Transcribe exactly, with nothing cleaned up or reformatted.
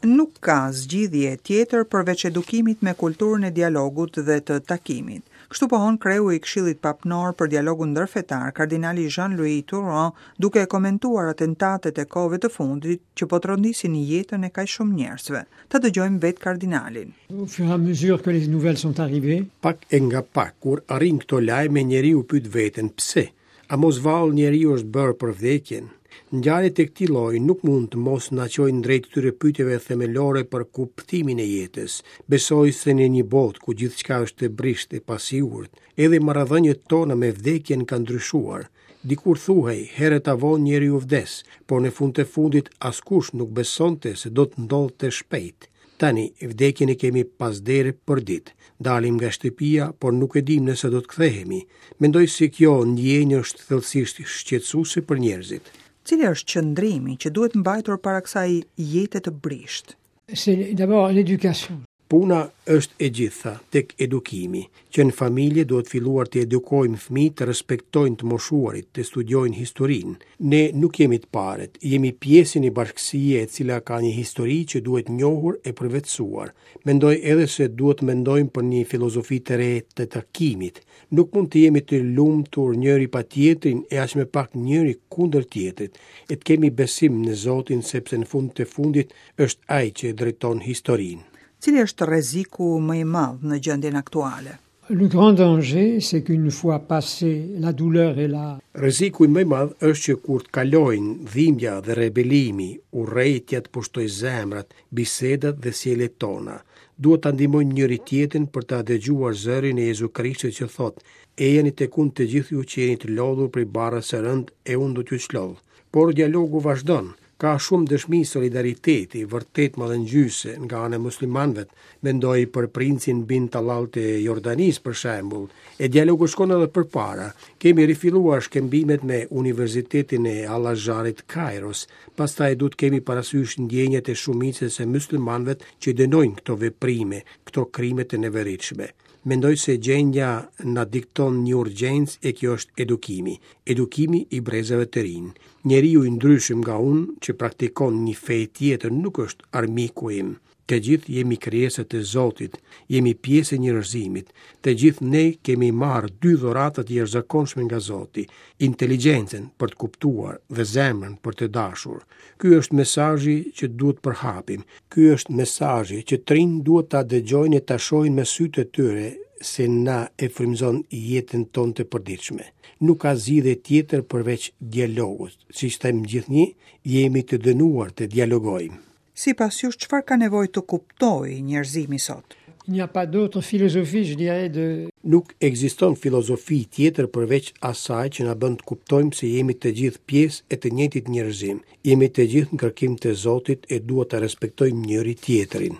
Nuk ka zgjidhje tjetër përveç edukimit me kulturën e dialogut dhe të takimit. Kështu pohon kreu i Këshillit Papnor për Dialogun Ndërfetar, kardinali Jean-Louis Tauran, duke komentuar atentatet e kohëve të fundit që po trondisin jetën e kaq shumë njerëzve. Ta dëgjojmë vetë kardinalin. Au fur et à mesure que les nouvelles sont arrivées, Pak e nga pak, kur arrin këto lajme, njeriu pyet veten pse. A mos vallë njeriu është bërë për vdekjen? Ngjarjet e këtij lloji nuk mund të mos na çojnë drejt këtyre pyetjeve themelore për kuptimin e jetës. Besoj se në një botë ku gjithçka është e brishtë e pasigurt, edhe marrëdhëniet tona me vdekjen kanë ndryshuar. Dikur thuhej, herët a vonë njeriu vdes, por në fund të fundit askush nuk besonte se do të ndodhte shpejt. Tani, vdekjen e kemi pas dere për ditë. Dalim nga shtëpia, por nuk e dim nëse do të kthehemi. Mendoj se kjo ndjenjë është thellësisht shqetësuese për njerëzit. Cili është qëndrimi që duhet mbajtur para kësaj jete të brishtë? C'est d'abord l'éducation. Puna është e gjitha tek edukimi, që në familje duhet filluar të edukojmë fëmijët të respektojnë të moshuarit, të studiojnë historinë. Ne nuk jemi të parët, jemi pjesë e një bashkësie e cila ka një histori që duhet njohur e përvetësuar. Mendoj edhe se duhet mendojmë për një filozofi të re të takimit. Nuk mund të jemi të lumtur njëri pa tjetrin e aq më pak njëri kundër tjetrit. E të kemi besim në Zotin, sepse në fund të fundit është ai që drejton historinë. Cili është rreziku më i madh në gjendjen aktuale? Le grand danger, c'est qu'une fois passé la douleur et la Rreziku më i madh është që kur të kalojnë dhimbja dhe rebelimi, urrejtja të pushtojë zemrat, bisedat dhe sjelljet tona. Duhet ta ndihmojmë njëri tjetrin për ta dëgjuar zërin e Jezu Krishtit që thotë: "Ejani tek unë të gjithë ju që jeni të lodhur prej barrës së rëndë, e unë do t'ju çlodh." Por dialogu vazhdon. Ka shumë dëshmi solidariteti, vërtet mallëngjyese nga ana e muslimanëve. Mendoj për princin bin Talal të Jordanisë për shembull. E dialogu shkon edhe përpara. Kemi rifilluar shkëmbimet me Universitetin e Al-Azharit Kairos. Pastaj duhet kemi parasysh ndjenjat e shumicës së muslimanëve që dënojnë këto veprime, këto krime të neveritshme. Mendoj se gjendja na dikton një urgjencë e kjo është edukimi. Edukimi i brezave të rinj. Njeriu i ndryshëm nga unë që praktikon një fe tjetër nuk është armiku im. Të gjithë jemi krijesa të Zotit, jemi pjesë e njerëzimit. Të gjithë ne kemi marrë dy dhurata të jashtëzakonshme nga Zoti, inteligjencën për të kuptuar dhe zemrën për të dashur. Ky është mesazhi që duhet përhapim. Ky është mesazhi që të rinj duhet ta dëgjojnë e ta shohin me sytë e tyre se na e frymëzon jetën tonë të përditshme. Nuk ka zgjidhje tjetër përveç dialogut. Siç them gjithnjë, jemi të dënuar të dialogojmë. Sipas jush, çfarë ka nevojë të kuptojë njerëzimi sot? Il n'y a pas d'autre philosophie, je dirais, de Nuk ekziston filozofi tjetër përveç asaj që na bën të kuptojmë se jemi të gjithë pjesë e të njëjtit njerëzim. Jemi të gjithë në kërkim të Zotit e duhet ta respektojmë njëri tjetrin.